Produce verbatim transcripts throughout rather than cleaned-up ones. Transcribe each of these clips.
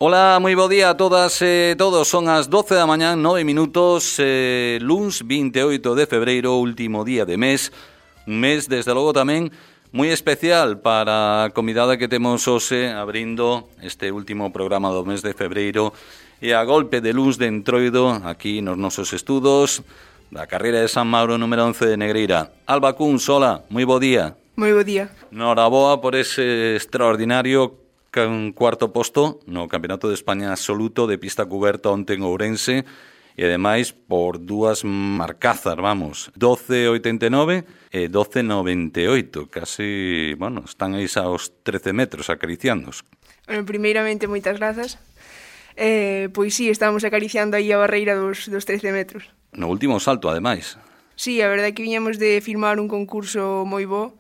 Ola, moi bo día a todas e todos. Son as doce da mañán, nove minutos, eh, luns vinte e oito de febreiro, último día de mes. Un mes, desde logo, tamén moi especial para a convidada que temos hoxe abrindo este último programa do mes de febreiro e a golpe de luns de entroido aquí nos nosos estudos da carreira de San Mauro número once de Negreira. Alba Cun, sola, moi bo día. Moi bo día. Noraboa por ese extraordinario un cuarto posto no Campeonato de España absoluto de pista cuberta onte en Ourense e ademais por dúas marcazas, vamos, doce oitenta e nove e doce noventa e oito, casi, bueno, están aí aos trece metros acariciándos. Bueno, primeiramente, moitas grazas. Eh, pois sí, estamos acariciando aí a barreira dos, dos trece metros. No último salto, ademais. Sí, a verdade é que viñamos de firmar un concurso moi bo.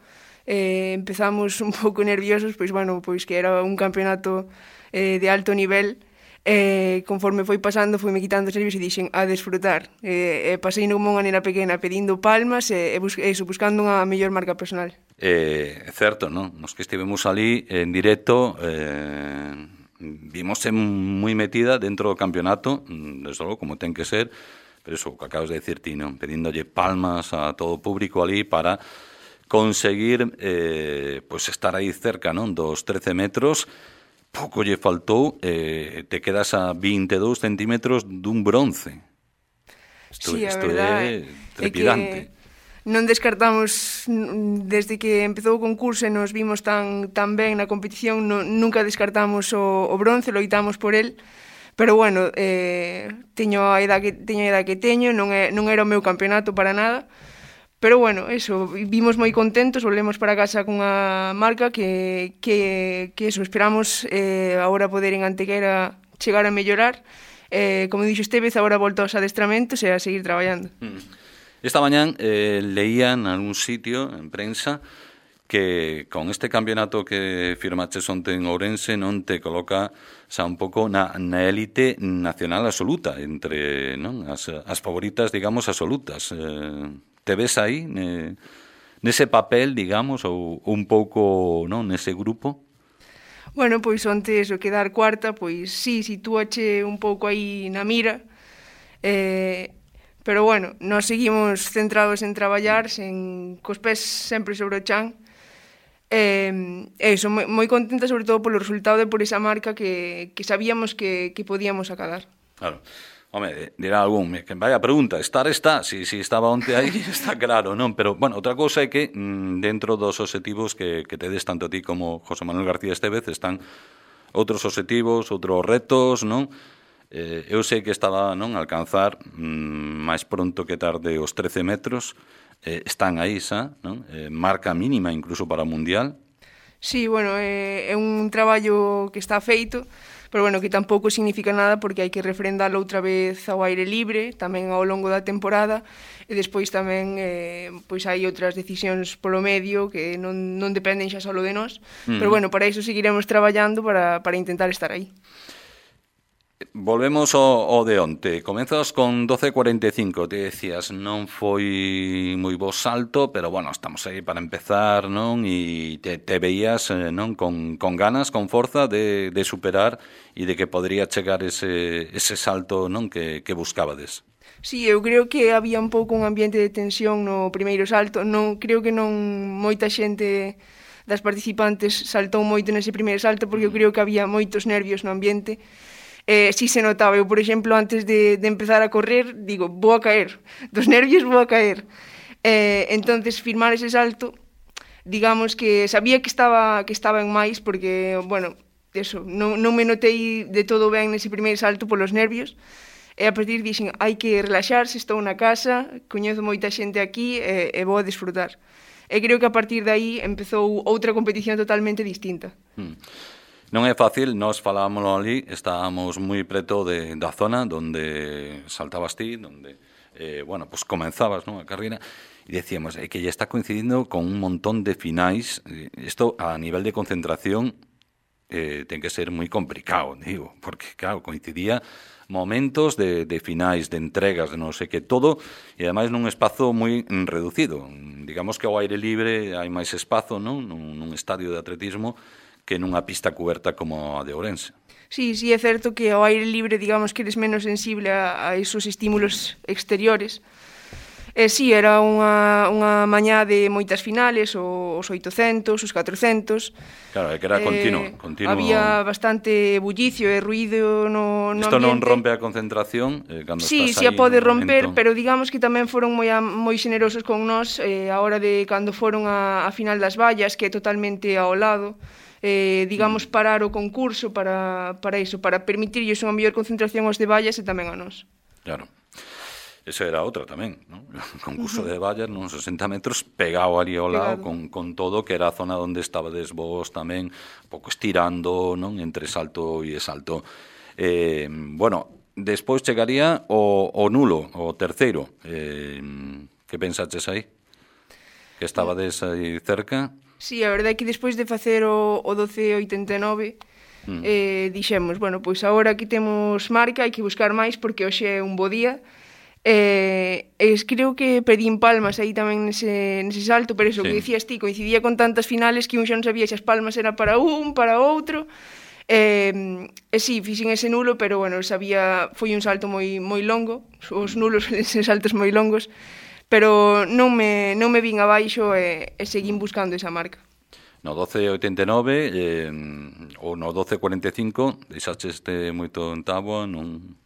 Eh, empezamos un pouco nerviosos, pois, bueno, pois que era un campeonato eh, de alto nivel. Eh, conforme foi pasando, foi me quitando os nervios e dixen a desfrutar. Eh, eh, pasei como unha nena pequena pedindo palmas e, e bus eso, buscando unha mellor marca personal. Eh, é certo, non? Nos que estivemos ali en directo, eh, vimos moi metida dentro do campeonato, desde logo, como ten que ser, pero eso, o que acabas de decir ti, non? Pedíndolle palmas a todo o público ali para conseguir eh, pues estar aí cerca, non, dos trece metros. Pouco lle faltou, eh, te quedas a vinte e dous centímetros dun bronce. Isto, sí, a isto verdade é trepidante. É que non descartamos, desde que empezou o concurso e nos vimos tan, tan ben na competición, no, nunca descartamos o, o bronce, loitamos por el. Pero bueno, eh, teño a edad que teño a edad que teño, non, é, non era o meu campeonato para nada. Pero bueno, eso, vimos moi contentos, volvemos para casa cunha marca que, que, que eso, esperamos eh, agora poder en Antequera chegar a mellorar. Eh, como dixo Estevez, agora volto aos adestramentos e a seguir traballando. Esta mañán eh, leía en algún sitio, en prensa, que con este campeonato que firmaches onte en Ourense non te coloca xa un pouco na, na élite nacional absoluta, entre non as, as favoritas, digamos, absolutas. Eh, te ves aí, ne, nese papel, digamos, ou un pouco, non, nese grupo? Bueno, pois onte eso, quedar cuarta, pois sí, sitúache un pouco aí na mira, eh, pero bueno, nós seguimos centrados en traballar, sen, cos pés sempre sobre o chan. Eh, eso, moi, moi contenta sobre todo polo resultado e por esa marca que, que sabíamos que, que podíamos acadar. Claro. Home, dirá algún, que vaya pregunta, estar está, si, si estaba onte aí, está claro, non? Pero, bueno, outra cousa é que mm, dentro dos obxectivos que, que tedes tanto a ti como José Manuel García Estevez están outros obxectivos, outros retos, non? Eh, eu sei que estaba, non, alcanzar mm, máis pronto que tarde os trece metros, eh, están aí xa, non? Eh, marca mínima incluso para o Mundial. Sí, bueno, é, é un traballo que está feito, pero bueno, que tampouco significa nada porque hai que refrendalo outra vez ao aire libre, tamén ao longo da temporada, e despois tamén eh, pois hai outras decisións polo medio que non, non dependen xa solo de nós, mm. pero bueno, para iso seguiremos traballando para, para intentar estar aí. Volvemos ao, ao de onte. Comezas con doce cuarenta e cinco, te decías, non foi moi bo salto, pero bueno, estamos aí para empezar, non? E te, te veías, eh, non? Con, con ganas, con forza de, de superar e de que podría chegar ese, ese salto, non? Que, que buscabades. Sí, eu creo que había un pouco un ambiente de tensión no primeiro salto. Non, creo que non moita xente das participantes saltou moito nese primeiro salto porque eu creo que había moitos nervios no ambiente. Eh, si se notaba, eu, por exemplo, antes de, de empezar a correr, digo, vou a caer, dos nervios vou a caer. Eh, entonces, firmar ese salto, digamos que sabía que estaba que estaba en máis, porque, bueno, eso, non, non me notei de todo ben nese primeiro salto polos nervios, e a partir dixen, hai que relaxarse, estou na casa, coñezo moita xente aquí, e, e vou a disfrutar. E creo que a partir de aí empezou outra competición totalmente distinta. Hmm. Non é fácil, nós falámoslo ali, estábamos moi preto de, da zona donde saltabas ti, donde, eh, bueno, pues comenzabas, ¿no?, a carreira, e decíamos, é que ya está coincidindo con un montón de finais, isto a nivel de concentración eh, ten que ser moi complicado, digo, porque, claro, coincidía momentos de, de finais, de entregas, de non sei que, todo, e ademais nun espazo moi reducido. Digamos que ao aire libre hai máis espazo, non?, nun, nun estadio de atletismo, que nunha pista cuberta como a de Ourense. Sí, sí, é certo que ao aire libre, digamos que eres menos sensible a, a esos estímulos exteriores. E sí, era unha, unha mañá de moitas finales, os oitocentos, os catrocentos. Claro, é que era continuo, Eh, continuo. había bastante bullicio e ruido no, no Isto ambiente. non rompe a concentración eh, cando Sí, estás sí a aí pode no romper, momento. pero digamos que tamén foron moi, a, moi xenerosos con nós eh, a hora de cando foron a, a final das vallas, que é totalmente ao lado. Eh, digamos, parar o concurso para, para iso, para permitirlles unha mellor concentración aos de vallas e tamén a nós. Claro. Esa era outra tamén, ¿no? O concurso uh-huh. de vallas, non sesenta metros, pegado ali ao lado, con, con todo, que era a zona onde estabades vos tamén, un pouco estirando, non? Entre salto e salto. Eh, bueno, despois chegaría o, o nulo, o terceiro. Eh, que pensaches aí? Que estabades aí cerca? Sí, a verdade é que despois de facer o, o doce oitenta e nove, mm. eh, dixemos, bueno, pois agora que temos marca, hai que buscar máis, porque hoxe é un bo día. Eh, es, creo que pedín palmas aí tamén nese, nese salto, pero eso sí. Que dicías ti, coincidía con tantas finales que un xa non sabía se as palmas era para un, para outro. Eh, e sí, fixen ese nulo, pero bueno, sabía, foi un salto moi moi longo, os nulos son saltos moi longos, pero non me, non me vin abaixo e, e seguín buscando esa marca. No doce oitenta e nove eh, ou no doce cuarenta e cinco deixaste este moito en táboa, non...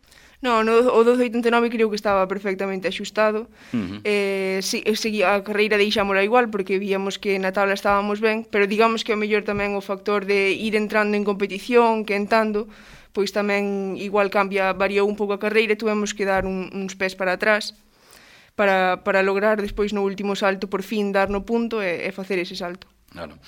No, no, o doce oitenta e nove creo que estaba perfectamente axustado. Uh-huh. eh, si, seguía, a carreira deixámola igual porque víamos que na tabla estábamos ben, pero digamos que o mellor tamén o factor de ir entrando en competición, quentando, pois tamén igual cambia, variou un pouco a carreira e tuvemos que dar un, uns pés para atrás para, para lograr despois no último salto por fin dar no punto e, e facer ese salto. Claro.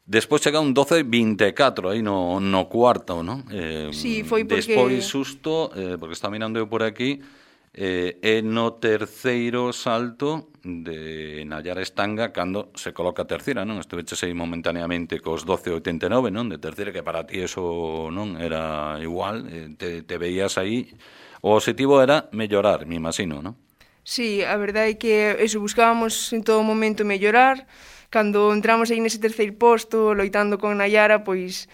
Despois chega un doce vinte e catro aí no, no cuarto, non? Eh, sí, foi porque... Despois susto, eh, porque está mirando eu por aquí, eh, é no terceiro salto de Nayara Estanga cando se coloca a terceira, non? Estuveches aí momentaneamente cos doce oitenta e nove, non? De terceira, que para ti eso non era igual, eh, te, te veías aí. O objetivo era mellorar, me imagino, non? Sí, a verdade é que eso, buscábamos en todo momento mellorar. Cando entramos aí nese terceiro posto, loitando con Nayara, pois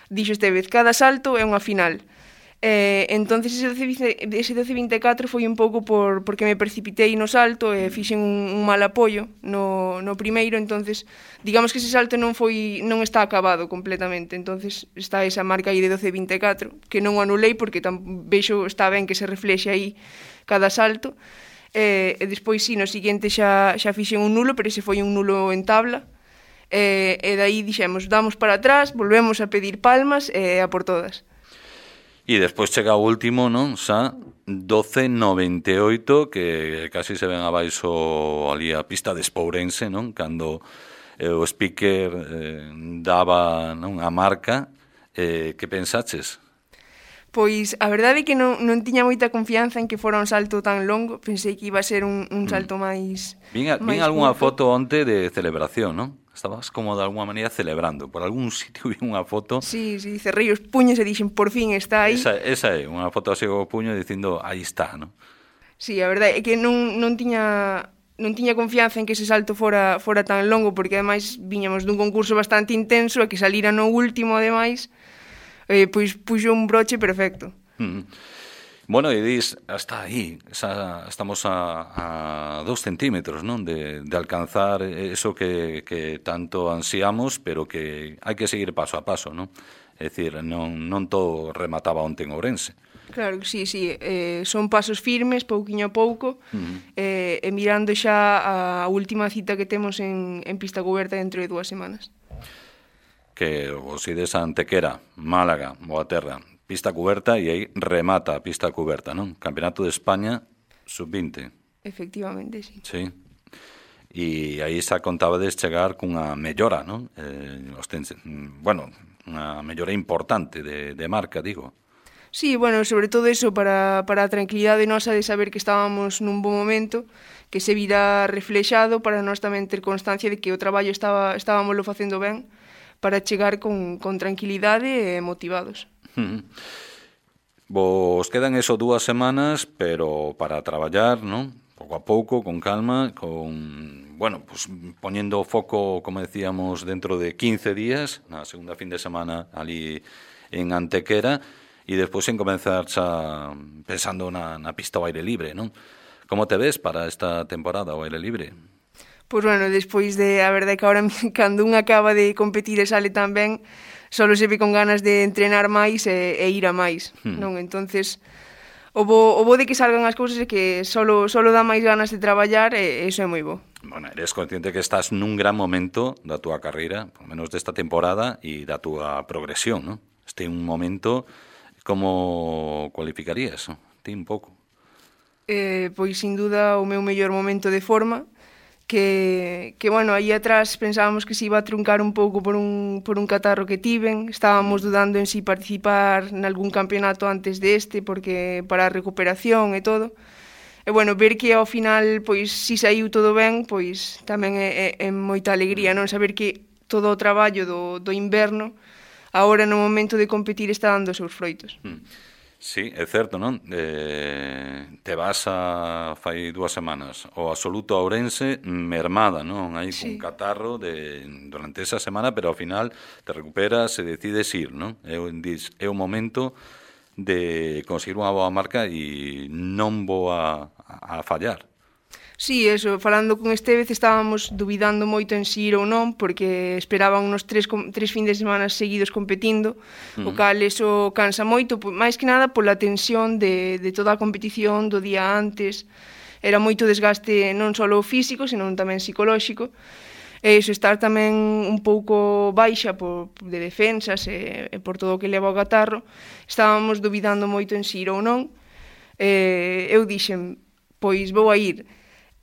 dixo este vez, cada salto é unha final. Eh, entonces ese doce vinte e catro foi un pouco por, porque me precipitei no salto e fixen un, un mal apoio no, no primeiro, entonces digamos que ese salto non foi non está acabado completamente, entonces está esa marca aí de doce vinte e catro, que non o anulei porque tam, vexo está ben que se reflexe aí cada salto. E, e despois, si, no seguinte xa, xa fixen un nulo, pero ese foi un nulo en tabla. E, e daí dixemos, damos para atrás, volvemos a pedir palmas e a por todas. E despois chega o último, non? Xa doce noventa e oito, que casi se ven abaixo ali a pista de Espourense, non? Cando eh, o speaker eh, daba, non, a marca. Eh, que pensaches? Pois a verdade é que non, non tiña moita confianza en que fora un salto tan longo. Pensei que iba a ser un, un salto mm. máis... Vin, vin algunha foto onte de celebración, non? Estabas como de alguna maneira celebrando. Por algún sitio vi unha foto... Sí, sí, cerrei os puños e dixen, por fin está aí. Esa, esa é, unha foto así co puño dicindo, aí está, non? Sí, a verdade é que non, non tiña... non tiña confianza en que ese salto fora, fora tan longo, porque ademais viñamos dun concurso bastante intenso e que salira no último, ademais... Eh, pois puxo un broche perfecto. Mm. Bueno, e dis, hasta aí, esa, estamos a, a dos centímetros, non? De, de alcanzar eso que, que tanto ansiamos, pero que hai que seguir paso a paso, non? É dicir, non, non todo remataba onte en Ourense. Claro que sí, sí, eh, son pasos firmes, pouquiño a pouco, mm. eh, e mirando xa a última cita que temos en, en pista coberta dentro de dúas semanas. Que os ides a Antequera, Málaga, Boaterra, pista cuberta e aí remata a pista cuberta, non? Campeonato de España sub vinte. Efectivamente, sí. Sí. E aí xa contabades chegar cunha mellora, non? Eh, os ten, bueno, unha mellora importante de, de marca, digo. Sí, bueno, sobre todo eso para, para a tranquilidade nosa de saber que estábamos nun bon momento, que se vira reflexado para nós tamén ter constancia de que o traballo estaba estábamoslo facendo ben, para chegar con, con tranquilidade e motivados. Uh-huh. Vos quedan eso dúas semanas, pero para traballar, non? Pouco a pouco, con calma, con, bueno, pues poñendo o foco, como decíamos, dentro de quince días, na segunda fin de semana ali en Antequera e despois en comenzar xa pensando na, na pista ao aire libre, non? Como te ves para esta temporada ao aire libre? Pois bueno, despois de, a verdade que agora cando un acaba de competir e sale tan ben, solo se ve con ganas de entrenar máis e, e ir a máis, hmm. non? Entonces, o bo, o bo de que salgan as cousas é que solo, solo dá máis ganas de traballar e iso é moi bo. Bueno, eres consciente que estás nun gran momento da túa carreira, por menos desta temporada, e da túa progresión, non? Este é un momento, como cualificarías? Ti un pouco. Eh, pois, sin duda, o meu mellor momento de forma, que, que bueno, aí atrás pensábamos que se iba a truncar un pouco por un, por un catarro que tiven, estábamos dudando en si participar nalgún campeonato antes deste, porque para a recuperación e todo, e bueno, ver que ao final, pois, si saiu todo ben, pois tamén é, é, é moita alegría, non? Saber que todo o traballo do, do inverno, agora no momento de competir está dando os seus froitos. Mm. Sí, é certo, non? Eh, te vas a fai dúas semanas o absoluto a Ourense mermada, non? Hai sí. un catarro de, durante esa semana, pero ao final te recuperas e decides ir, non? É, é o momento de conseguir unha boa marca e non vou a, a fallar. Sí, eso, falando con Estevez estábamos dubidando moito en si ir ou non, porque esperaban unos tres, tres fins de semana seguidos competindo, uh-huh. o cal eso cansa moito, máis que nada pola tensión de, de toda a competición do día antes. Era moito desgaste non só físico, senón tamén psicolóxico, e iso estar tamén un pouco baixa por, de defensas e, e por todo o que leva o catarro. Estábamos dubidando moito en si ir ou non. E, eu dixen, pois vou a ir.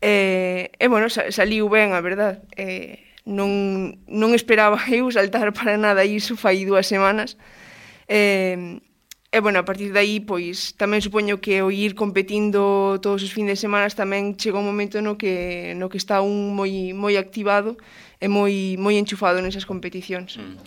E, e bueno, saliu ben, a verdad. E, non, non esperaba eu saltar para nada iso fai dúas semanas. E, e bueno, a partir de aí, pois, tamén supoño que o ir competindo todos os fins de semana tamén chega un momento no que, no que está un moi, moi activado e moi, moi enchufado nesas competicións. Mm.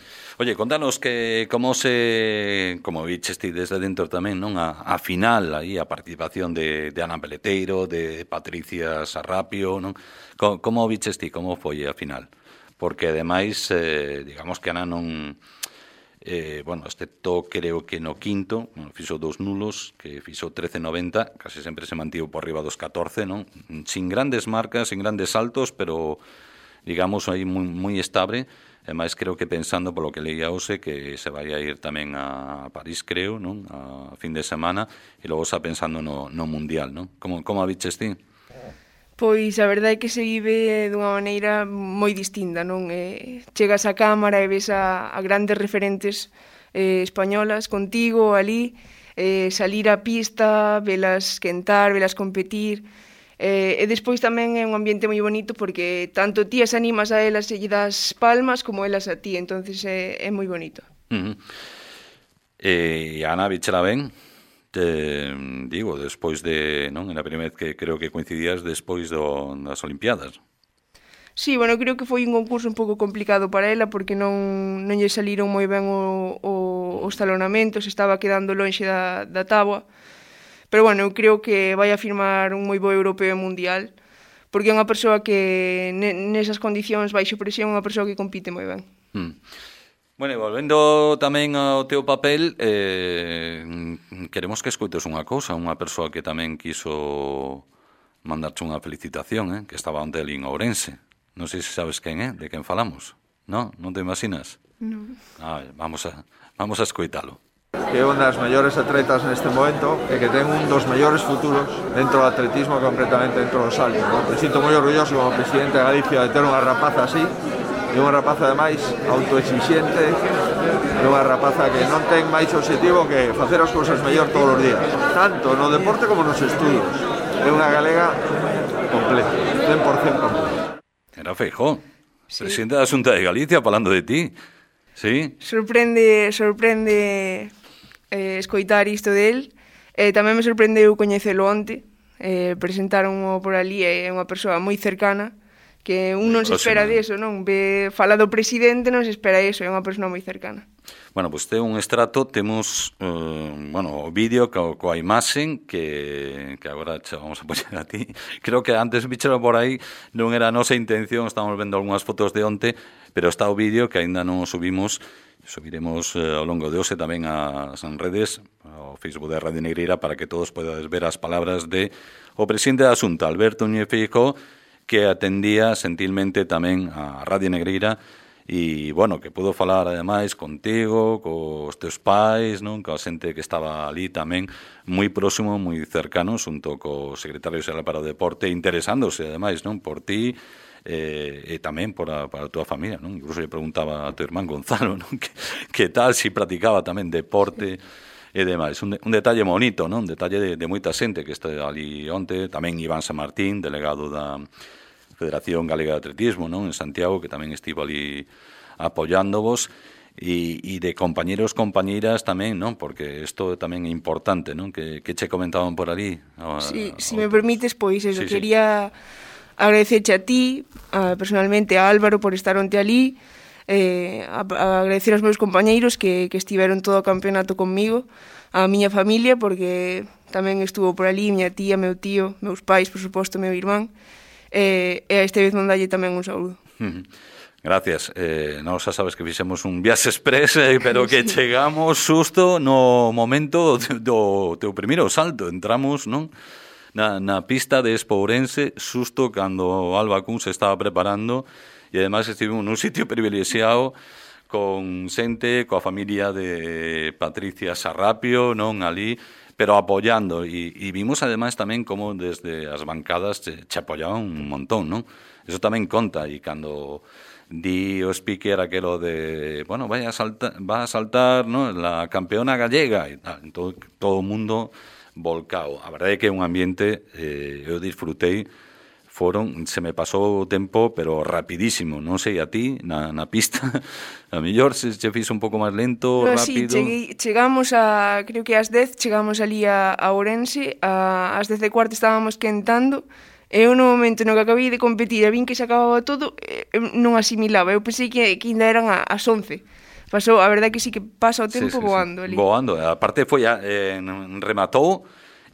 Oye, contanos que como se, como viches ti desde dentro tamén, non? A, a final, aí, a participación de, de Ana Peleteiro, de Patricia Sarrapio, non? Como, como viches ti, como foi a final? Porque, ademais, eh, digamos que Ana non... Eh, bueno, excepto creo que no quinto, bueno, fixo dos nulos, que fixo trece noventa, casi sempre se mantivo por riba dos catorce, non? Sin grandes marcas, sin grandes saltos, pero, digamos, aí moi, moi estable. E máis creo que pensando polo que leía hoxe que se vai a ir tamén a París, creo, non? A fin de semana, e logo xa pensando no, no Mundial, non? Como, como a viches ti? Pois a verdade é que se vive dunha maneira moi distinta, non? Eh, chegas á cámara e ves a, a grandes referentes eh, españolas contigo ali, eh, salir á pista, velas quentar, velas competir. Eh, e despois tamén é un ambiente moi bonito porque tanto ti as animas a elas e lle das palmas como elas a ti, entonces é, é moi bonito. Uh-huh. E eh, Ana, bichela ben? Te, digo, despois de, non? En a primeira vez que creo que coincidías despois do, das Olimpiadas. Sí, bueno, creo que foi un concurso un pouco complicado para ela porque non, non lle saliron moi ben o, o, os talonamentos, estaba quedando lonxe da, da táboa. Pero bueno, eu creo que vai a firmar un moi bo europeo e mundial, porque é unha persoa que nesas condicións baixo presión é unha persoa que compite moi ben. Hmm. Bueno, e volvendo tamén ao teu papel, eh, queremos que escoites unha cousa, unha persoa que tamén quiso mandarche unha felicitación, eh, que estaba onte ali en Ourense. Non sei se sabes quen é, de quen falamos. Non? Non te imaginas? Non. Ah, vamos a, vamos a escoitalo. Que é unha das mellores atletas neste momento e que ten un dos mellores futuros dentro do atletismo, concretamente dentro do salto, ¿no? Me sinto moi orgulloso como presidente de Galicia de ter unha rapaza así, e unha rapaza ademais autoexixente, e unha rapaza que non ten máis objetivo que facer as cousas mellor todos os días, tanto no deporte como nos estudios. É unha galega completa, cen por cento completa. Era Feijóo, sí. Presidente da Xunta de Galicia, falando de ti. Sí. Sorprende, sorprende eh, escoitar isto del. Eh, tamén me sorprendeu coñecelo onte. Eh, presentaron por ali, é unha persoa moi cercana, que un non se espera deso, non? Ve, fala do presidente, non se espera eso, é unha persoa moi cercana. Bueno, pois pues, ten un extrato, temos uh, bueno, o vídeo co, coa imaxen que, que agora che vamos a poñer a ti. Creo que antes bichero por aí non era a nosa intención, estamos vendo algunhas fotos de onte, pero está o vídeo que aínda non o subimos, subiremos eh, ao longo de hoxe tamén ás redes, ao Facebook de Radio Negreira, para que todos podades ver as palabras de o presidente da Xunta, Alberto Núñez Feijóo, que atendía sentilmente tamén a Radio Negreira e, bueno, que pudo falar ademais contigo, cos teus pais, non? Coa xente que estaba ali tamén moi próximo, moi cercano, xunto co secretario xeral para o deporte, interesándose ademais, non? Por ti eh, e tamén por a, para a túa familia, non? Incluso lle preguntaba a teu irmán Gonzalo, non? Que, que tal si practicaba tamén deporte e demais. Un, de, un detalle bonito, non? Un detalle de, de moita xente que está ali onte, tamén Iván San Martín, delegado da Federación Galega de Atletismo, non? En Santiago, que tamén estivo ali apoiándovos, e, e de compañeros, compañeiras tamén, non? Porque isto tamén é importante, non? Que, que che comentaban por ali. A, sí, a, si me permites, pois, eso, sí, quería sí. agradecerche a ti, a, personalmente a Álvaro por estar onte ali, eh, a, a agradecer aos meus compañeiros que, que estiveron todo o campeonato conmigo, a miña familia, porque tamén estuvo por ali, miña tía, meu tío, meus pais, por suposto, meu irmán, e, e a este vez mandalle tamén un saúdo. Gracias. Eh, nós xa sabes que fixemos un viaxe express, eh, pero que sí. Chegamos xusto no momento do, do teu primeiro salto. Entramos, non? Na, na pista de Espourense, xusto cando Alba Cun se estaba preparando, e ademais estivemos nun sitio privilexiado con xente, coa familia de Patricia Sarrapio, non? Ali, pero apoyando, e, e vimos ademais tamén como desde as bancadas che, che apoyaban un montón, non? Eso tamén conta, e cando di o speaker aquelo de, bueno, vai a saltar, va a saltar, ¿no? La campeona gallega, e tal, todo, todo o mundo volcado. A verdade é que é un ambiente, eh, eu disfrutei, foron, se me pasou o tempo, pero rapidísimo, non sei a ti, na, na pista, a mellor se che fixo un pouco máis lento, no, rápido. Sí, cheguei, chegamos a, creo que ás dez, chegamos ali a, a Ourense, a, ás dez e cuarto estábamos quentando, e eu no momento no que acabei de competir e vin que se acababa todo, non asimilaba, eu pensei que, que ainda eran a, as once. Pasou, a verdade que sí que pasa o tempo sí, sí, voando sí. ali. Voando, aparte foi, eh, rematou,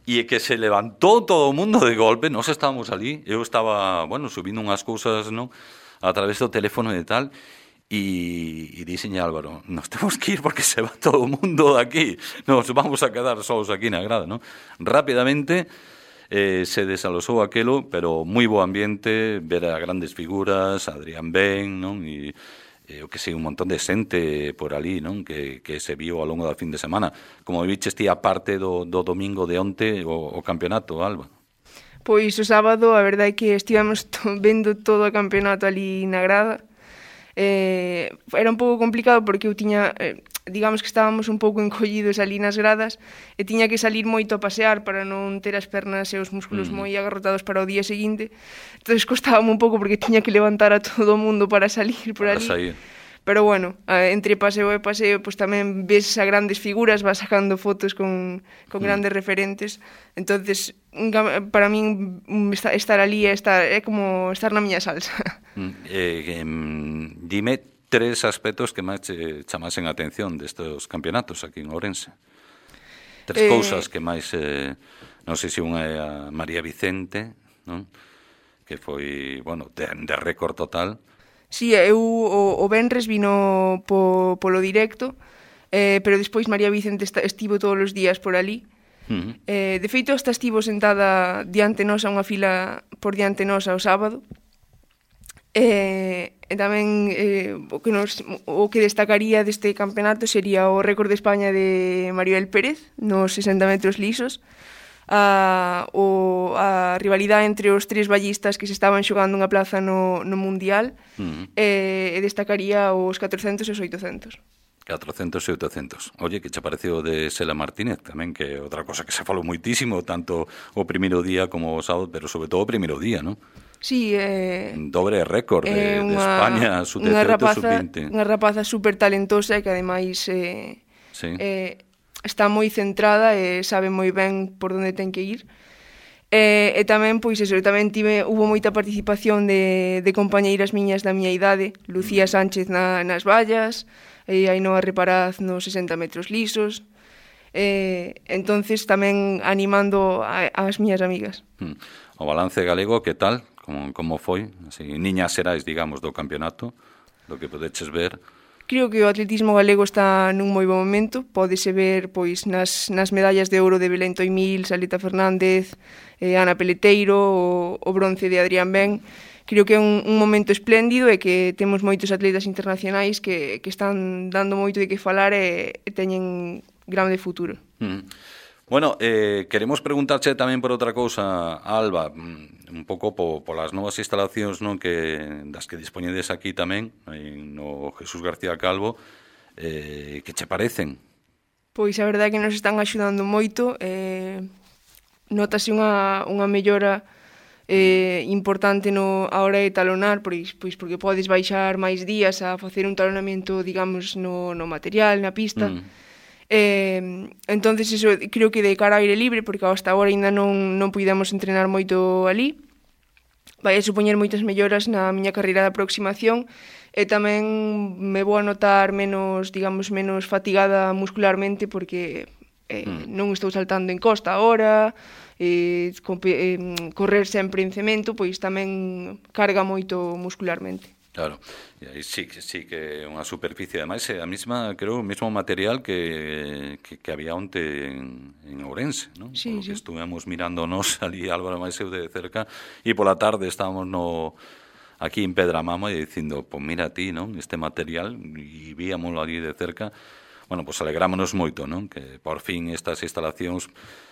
e que se levantou todo o mundo de golpe, nós estábamos ali, eu estaba, bueno, subindo unhas cousas, non, a través do teléfono e tal, e, e dixenlle Álvaro, nos temos que ir porque se va todo o mundo de aquí, nos vamos a quedar solos aquí na grada, non? Rapidamente eh, se desalosou aquelo, pero moi bo ambiente, ver a grandes figuras, Adrián Ben, non? E eu que sei, un montón de xente por ali, non? Que, que se viu ao longo da fin de semana. Como viches ti a parte do, do domingo de onte o, o campeonato, Alba? Pois o sábado, a verdade é que estivemos vendo todo o campeonato ali na grada. Eh, era un pouco complicado porque eu tiña, eh, digamos que estábamos un pouco encollidos ali nas gradas e tiña que salir moito a pasear para non ter as pernas e os músculos mm. moi agarrotados para o día seguinte. Entonces costábame un pouco porque tiña que levantar a todo o mundo para salir por para ali. Sair. Pero bueno, entre paseo e paseo, pues tamén ves a grandes figuras, vas sacando fotos con, con mm. grandes referentes. Entonces, para min estar ali é, estar, é como estar na miña salsa. Mm. Eh, eh, dime tres aspectos que máis che chamasen a atención destes campeonatos aquí en Ourense. Tres eh, cousas que máis, eh, non sei se unha é a María Vicente, non? Que foi, bueno, de, de récord total. Sí, eu o, o Benres vino po, polo directo, eh, pero despois María Vicente esta, estivo todos os días por ali. Uh-huh. Eh, de feito, hasta estivo sentada diante nosa, unha fila por diante nosa o sábado. Eh, e tamén eh, o, que nos, o que destacaría deste campeonato sería o récord de España de Maribel Pérez nos sesenta metros lisos. A, o, a rivalidade entre os tres ballistas que se estaban xogando unha plaza no, no Mundial uh-huh. e, e destacaría os catrocentos e os oitocentos. catrocentos e oitocentos. Oye, que che pareceu de Sela Martínez tamén, que é outra cosa que se falou moitísimo, tanto o primeiro día como o sábado, pero sobre todo o primeiro día, non? Sí, eh, dobre récord de, eh, unha, de España, sub dezaoito, sub vinte. Unha rapaza super talentosa e que ademais eh, sí. eh, está moi centrada e sabe moi ben por onde ten que ir. E, e tamén, pois eso, tamén tive, hubo moita participación de, de compañeiras miñas da miña idade, Lucía Sánchez na, nas vallas, e Ainhoa Reparaz nos sesenta metros lisos, e, entonces tamén animando a, as miñas amigas. O balance galego, que tal? Como, como foi? Así, niñas xerais, digamos, do campeonato? do que podeches ver. Creo que o atletismo galego está nun moi bo momento. Pódese ver pois nas, nas medallas de ouro de Belén Toimil, Saleta Fernández, eh, Ana Peleteiro, o, o bronce de Adrián Ben. Creo que é un, un momento espléndido e que temos moitos atletas internacionais que, que están dando moito de que falar e, e teñen grande futuro. Mm. Bueno, eh, queremos preguntarche tamén por outra cousa, Alba, un pouco po, polas novas instalacións, non, que das que dispoñedes aquí tamén, no Jesús García Calvo, eh, que che parecen? Pois a verdade é que nos están axudando moito, eh, notase unha, unha mellora eh, importante no, a hora de talonar, pois, pois porque podes baixar máis días a facer un talonamento, digamos, no, no material, na pista. Mm. Eh, entonces eso creo que de cara ao aire libre, porque hasta agora ainda non, non puidamos entrenar moito ali, vai a supoñer moitas melloras na miña carreira de aproximación e tamén me vou a notar menos, digamos, menos fatigada muscularmente porque eh, mm. non estou saltando en costa agora, eh, eh, correr sempre en cemento, pois tamén carga moito muscularmente. Claro, e aí sí, sí que é unha superficie, ademais é a mesma, creo, o mesmo material que, que, que había onte en, en Ourense, non? Sí, Por lo que sí. estuvemos mirándonos ali, Álvaro máis eu de cerca, e pola tarde estábamos no, aquí en Pedramama e dicindo, pues mira ti, non, este material, e víamoslo ali de cerca. Bueno, pues alegrámonos moito, non, que por fin estas instalacións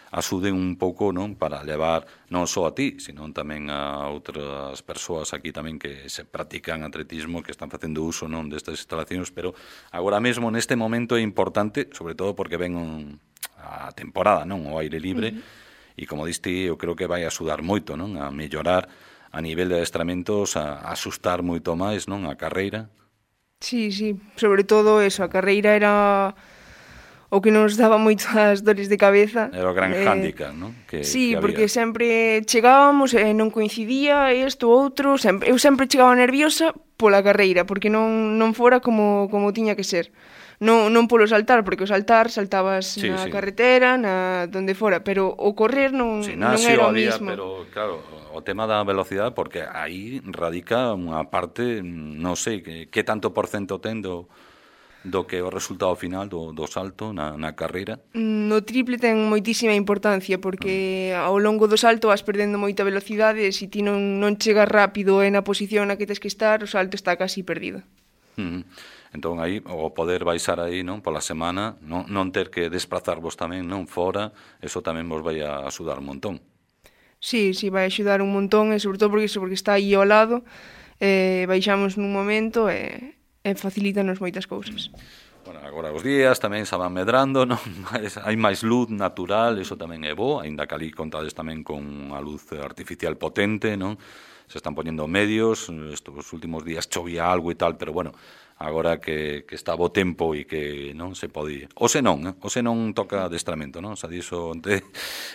axuden un pouco, non, para levar non só a ti, sino tamén a outras persoas aquí tamén que se practican atletismo, que están facendo uso, non, destas instalacións, pero agora mesmo neste momento é importante, sobre todo porque ven un, a temporada, non, o aire libre, uh-huh. e como diste, eu creo que vai axudar moito, non, a mellorar a nivel de adestramentos, a, a asustar moito máis, non, a carreira. Sí, sí, sobre todo eso, a carreira era o que nos daba moitas dores de cabeza. Era o gran eh, hándicap, non? Que, sí, que porque sempre chegábamos e non coincidía isto, outro, sempre, eu sempre chegaba nerviosa pola carreira, porque non, non fora como, como tiña que ser. Non, non polo saltar, porque o saltar saltabas sí, na sí. carretera, na donde fora, pero o correr non, non era o había, mismo. Pero claro, o tema da velocidade, porque aí radica unha parte, non sei, que, que tanto porcento ten do, do que o resultado final do, do salto na, na carreira? No triple ten moitísima importancia, porque mm. ao longo do salto vas perdendo moita velocidade e se ti non, non chegas rápido e na posición na que tes que estar, o salto está casi perdido. Mm. Entón aí, o poder baixar aí, non, pola semana, non, non ter que desplazarvos tamén, non, fora, eso tamén vos vai a axudar un montón. Sí, sí, vai axudar un montón, e sobre todo porque, iso, porque está aí ao lado, eh, baixamos nun momento e, e facilítanos moitas cousas. Bueno, agora os días tamén se van medrando, non? Hai máis luz natural, eso tamén é bo, aínda que ali contades tamén con a luz artificial potente, non? Se están poñendo medios, estos últimos días chovía algo e tal, pero bueno, agora que, que está bo tempo e que non se pode... O se non, eh? o se non toca adestramento, non? Xa dixo onte...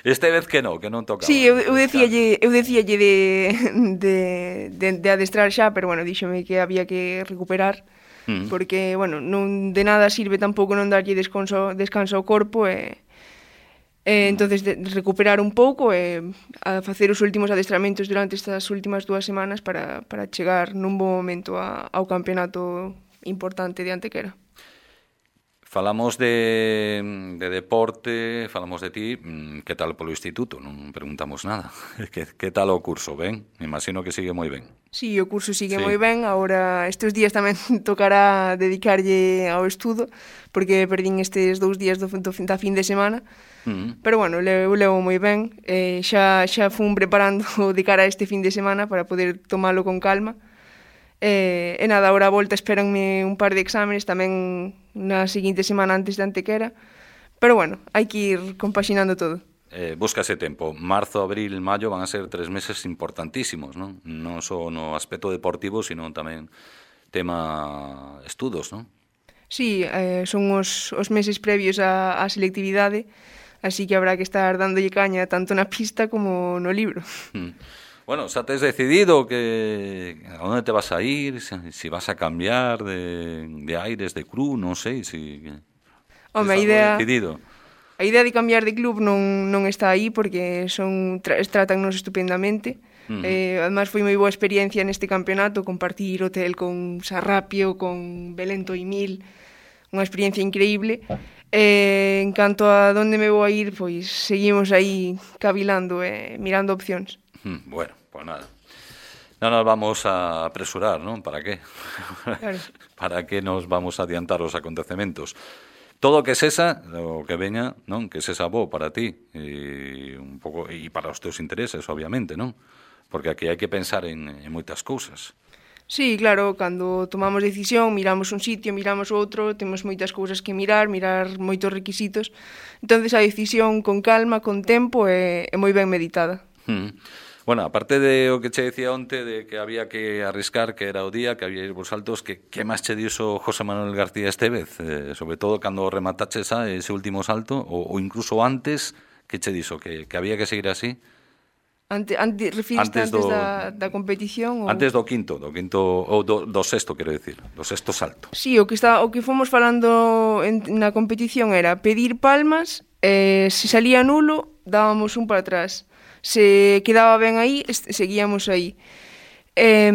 Este vez que non, que non toca. Sí, eu, eu decíalle, eu decíalle de, de, de, de adestrar xa, pero bueno, díxome que había que recuperar, mm. porque, bueno, non de nada sirve tampouco non darlle descanso, descanso ao corpo e... E, entonces de, de recuperar un pouco e a facer os últimos adestramentos durante estas últimas dúas semanas para, para chegar nun bo momento a, ao campeonato importante de Antequera. Falamos de, de deporte, falamos de ti, que tal polo instituto? Non preguntamos nada. Que, que tal o curso? Ben? Me imagino que sigue moi ben. Sí, o curso sigue Sí. moi ben. Agora, estes días tamén tocará dedicarlle ao estudo, porque perdín estes dous días do, do, da fin de semana. Mm. Pero bueno, eu levo moi ben. Eh, xa, xa fun preparando de cara a este fin de semana para poder tomalo con calma. E, e nada, agora a volta esperanme un par de exámenes tamén na seguinte semana antes de Antequera. Pero bueno, hai que ir compaxinando todo. Eh, búscase tempo. Marzo, abril, maio van a ser tres meses importantísimos, non? Non só no aspecto deportivo, sino tamén tema estudos, non? Sí, eh, son os, os meses previos á, á selectividade, así que habrá que estar dándolle caña tanto na pista como no libro. Mm. Bueno, xa tes decidido que a onde te vas a ir, se si vas a cambiar de, de aires, de club, non sei, si... Home, a idea, decidido. a idea de cambiar de club non, non está aí porque son tra, tratannos estupendamente, Uh-huh. Eh, además foi moi boa experiencia neste campeonato, compartir hotel con Sarrapio, con Belén Toimil, unha experiencia increíble. Eh, en canto a donde me vou a ir, pois seguimos aí cavilando e eh, mirando opcións. Hmm, bueno, pues nada. No nos vamos a apresurar, ¿no? ¿Para qué? Claro. ¿Para qué nos vamos a adiantar os acontecementos? Todo o que sesa, o que veña, non? Que sesa bo para ti e un pouco e para os teus intereses, obviamente, non? Porque aquí hai que pensar en, en moitas cousas. Sí, claro, cando tomamos decisión, miramos un sitio, miramos outro, temos moitas cousas que mirar, mirar moitos requisitos. Entonces a decisión con calma, con tempo e, e moi ben meditada. Mm. Bueno, aparte de o que che decía onte de que había que arriscar, que era o día, que había ir por saltos, que, que máis che dixo José Manuel García Estévez? Eh, sobre todo cando remataches a ese último salto, o, o incluso antes, que che dixo? Que, que había que seguir así? Ante, ante, refiriste antes, antes do, da, da competición? Ou... Antes do quinto, do quinto, ou do, do sexto, quero decir, do sexto salto. Sí, o que, está, o que fomos falando en, na competición era pedir palmas, eh, se salía nulo, dábamos un para atrás. Se quedaba ben aí, seguíamos aí. Eh,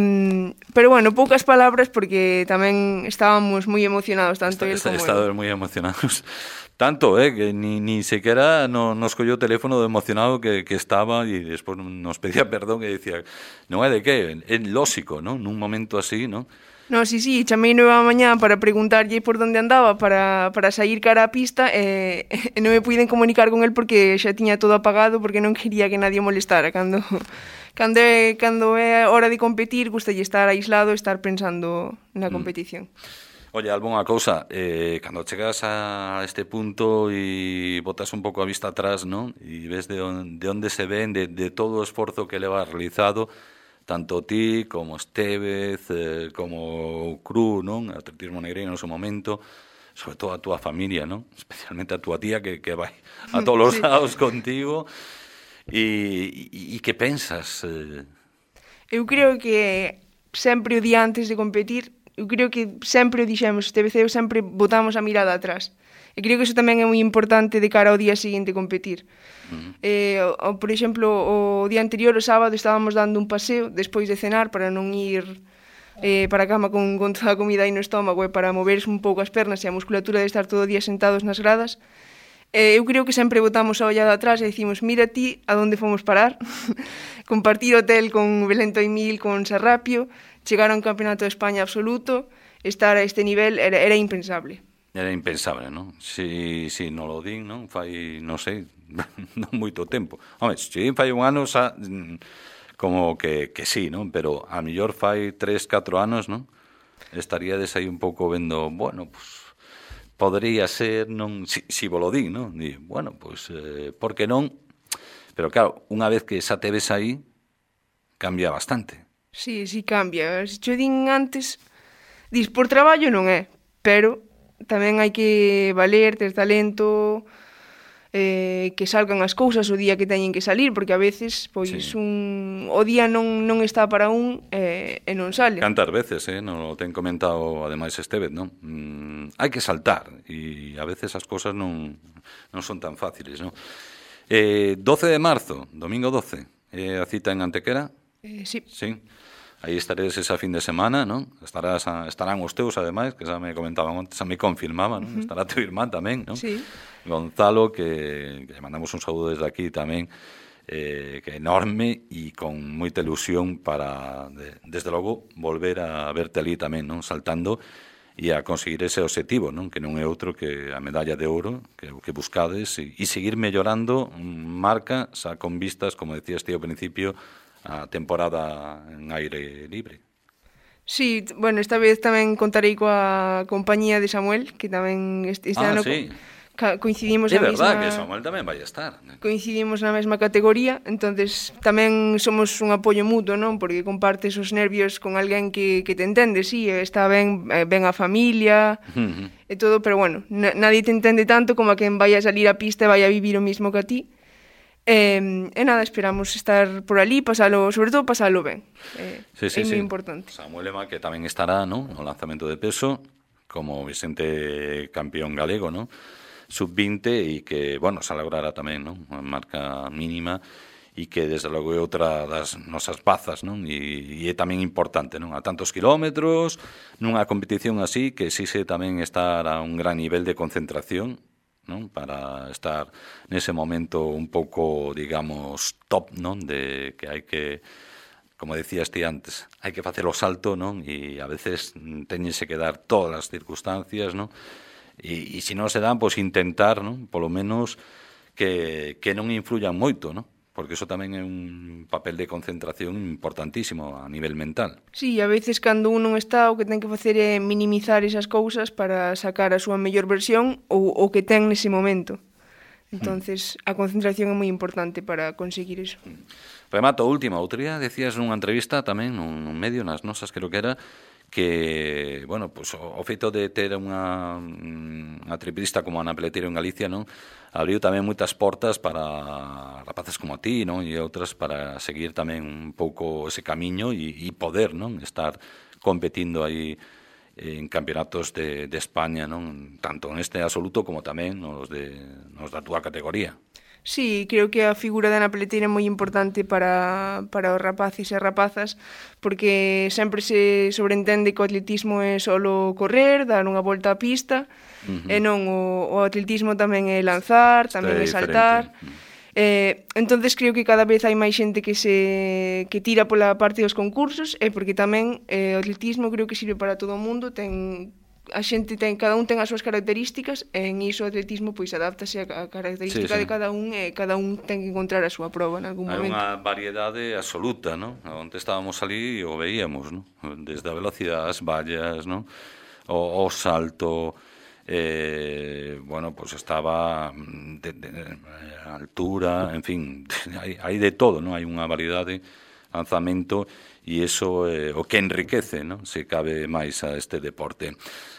pero bueno, poucas palabras porque tamén estábamos moi emocionados, tanto Está, él como Estábamos moi emocionados. Tanto, eh, que ni, ni sequera no, nos colló o teléfono de emocionado que, que estaba e despois nos pedía perdón e dicía, non é de que, é lóxico, non? Nun momento así, non? No, sí, sí, chamei nova mañá para preguntarlle por onde andaba para, para sair cara á pista e, e non me puiden comunicar con el porque xa tiña todo apagado porque non quería que nadie molestara. Cando, cando, é, cando é hora de competir, gustalle estar aislado e estar pensando na competición. Mm. Oye, Alba, unha cousa, eh, cando chegas a este punto e botas un pouco a vista atrás, non? E ves de, on, de onde se ven, de, de todo o esforzo que leva realizado, tanto ti como Estévez, eh, como o Cru, non? Atletismo Negreiro no seu momento, sobre todo a túa familia, non? Especialmente a túa tía que, que vai a todos os sí. lados contigo. E, e, e que pensas? Eh... Eu creo que sempre o día antes de competir, eu creo que sempre o dixemos, Estévez e eu sempre botamos a mirada atrás. E creo que iso tamén é moi importante de cara ao día seguinte competir. Uh-huh. Eh, o, por exemplo, o día anterior, o sábado, estábamos dando un paseo despois de cenar para non ir eh, para a cama con, con toda a comida aí no estómago e para mover un pouco as pernas e a musculatura de estar todo o día sentados nas gradas. Eh, eu creo que sempre botamos a ollada atrás e dicimos, mira ti a onde fomos parar, compartir hotel con Belén Toimil, con Sarrapio, chegar a un campeonato de España absoluto, estar a este nivel era, era impensable. Era impensable, non? Si, si non lo din, non? Fai, non sei, non moito tempo. Home, se fai un ano, xa, como que, que sí, non? Pero a mellor fai tres, catro anos, non? Estaríades aí un pouco vendo, bueno, pues, podría ser, non? Si, si vos lo din, non? Di, bueno, pues, eh, por que non? Pero claro, unha vez que xa te ves aí, cambia bastante. Sí, sí cambia. Se cho din antes, dis, por traballo non é, pero tamén hai que valer, ter talento, eh, que salgan as cousas o día que teñen que salir, porque a veces pois sí. un o día non non está para un eh, e non sale. Cantas veces, eh, non ten comentado ademais Estévez, non? Mm, hai que saltar e a veces as cousas non non son tan fáciles, non? Eh, doce de marzo, domingo doce, eh, a cita en Antequera? Eh, sí. Sí. Aí estaredes esa fin de semana, non? Estarás a, estarán os teus, ademais, que xa me comentaban antes, xa me confirmaban, non? Uh-huh. Estará teu irmán tamén, non? Sí. Gonzalo, que, que le mandamos un saúdo desde aquí tamén, eh, que enorme e con moita ilusión para, de, desde logo, volver a verte ali tamén, non? Saltando e a conseguir ese objetivo, non? Que non é outro que a medalla de ouro que, que buscades e, e seguir mellorando marca, xa con vistas, como decías ti ao principio, a temporada en aire libre. Sí, bueno, esta vez tamén contarei coa compañía de Samuel, que tamén este, este ah, ano sí. co coincidimos é na verdad mesma... que Samuel tamén vai estar. Coincidimos na mesma categoría, entonces tamén somos un apoio mutuo, non? Porque compartes os nervios con alguén que, que te entende, sí, está ben, ben a familia uh-huh. e todo, pero bueno, na, nadie te entende tanto como a quen vai a salir a pista e vai a vivir o mismo que a ti. E, e nada, esperamos estar por ali, pasalo, sobre todo pasalo ben. Eh, sí, sí, é moi sí. importante. Samuel Ema, que tamén estará, ¿no?, no lanzamento de peso, como Vicente campeón galego, ¿no?, sub vinte, e que, bueno, se logrará tamén, ¿no?, unha marca mínima, e que desde logo é outra das nosas bazas, non? E, e é tamén importante, non? A tantos kilómetros, nunha competición así, que exixe tamén estar a un gran nivel de concentración, non? Para estar nese momento un pouco, digamos, top, non? De que hai que, como decías ti antes, hai que facer o salto, non? E a veces teñense que dar todas as circunstancias, non? E, e se non se dan, pois intentar, non? Polo menos que, que non influyan moito, non? Porque iso tamén é un papel de concentración importantísimo a nivel mental. Sí, a veces cando un non está, o que ten que facer é minimizar esas cousas para sacar a súa mellor versión ou o que ten nese momento. Entonces, mm. a concentración é moi importante para conseguir iso. Remato, última, outro día decías nunha entrevista tamén, nun, nun medio, nas nosas, creo que era, que, bueno, pues, o, o feito de ter unha, unha triplista como Ana Peleteiro en Galicia, non? Abriu tamén moitas portas para rapaces como a ti, non? E outras para seguir tamén un pouco ese camiño e, e poder, non? Estar competindo aí en campeonatos de, de España, non? Tanto neste absoluto como tamén nos, de, nos da túa categoría. Sí, creo que a figura de Ana Peleteiro é moi importante para, para os rapaces e rapazas, porque sempre se sobreentende que o atletismo é solo correr, dar unha volta á pista, uh-huh. e non, o, o atletismo tamén é lanzar, tamén é, é saltar. Eh, entonces creo que cada vez hai máis xente que se que tira pola parte dos concursos, e porque tamén eh, o atletismo creo que sirve para todo o mundo, ten a xente ten, cada un ten as súas características, e en iso o atletismo pois adáptase a característica sí, sí. de cada un, e cada un ten que encontrar a súa proba en algún hai momento. Hai unha variedade absoluta, non? Onde estábamos ali o veíamos, non? Desde a velocidade, as vallas, non? O, o salto, eh, bueno, pois pues estaba de, de, de altura, en fin, hai, hai de todo, non? Hai unha variedade, lanzamento, e iso é eh, o que enriquece, non? Se cabe máis a este deporte.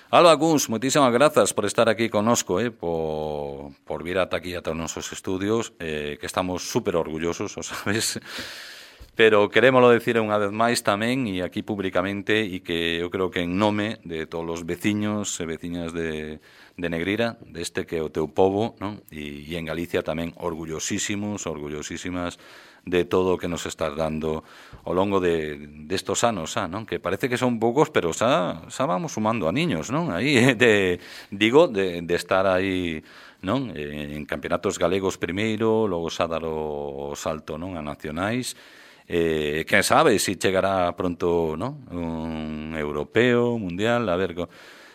Alba Guns, moitísimas grazas por estar aquí connosco, eh, por, por vir ata aquí ata os nosos estudios, eh, que estamos super orgullosos, o sabes, pero querémolo decir unha vez máis tamén, e aquí públicamente, e que eu creo que en nome de todos os veciños e veciñas de, de Negrira, deste que é o teu pobo, non? E, e en Galicia tamén orgullosísimos, orgullosísimas de todo o que nos estás dando ao longo de destos anos, xa, non? Que parece que son poucos, pero xa, xa vamos sumando a niños, non? Aí, de, digo, de, de estar aí, non? En campeonatos galegos primeiro, logo xa dar o salto, non? A nacionais. Eh, quen sabe se si chegará pronto, non? Un europeo, mundial, a ver,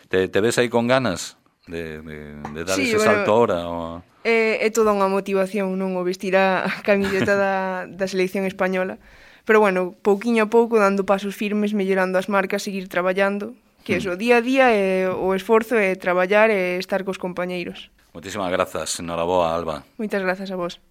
te, te ves aí con ganas de, de, de dar sí, ese bueno, salto ahora? O... É, é toda unha motivación, non? O vestir a camiseta da, da selección española. Pero, bueno, pouquiño a pouco, dando pasos firmes, mellorando as marcas, seguir traballando, que eso, día a día, é, o esforzo é traballar e estar cos compañeiros. Moitísimas grazas, noraboa, Alba. Moitas grazas a vos.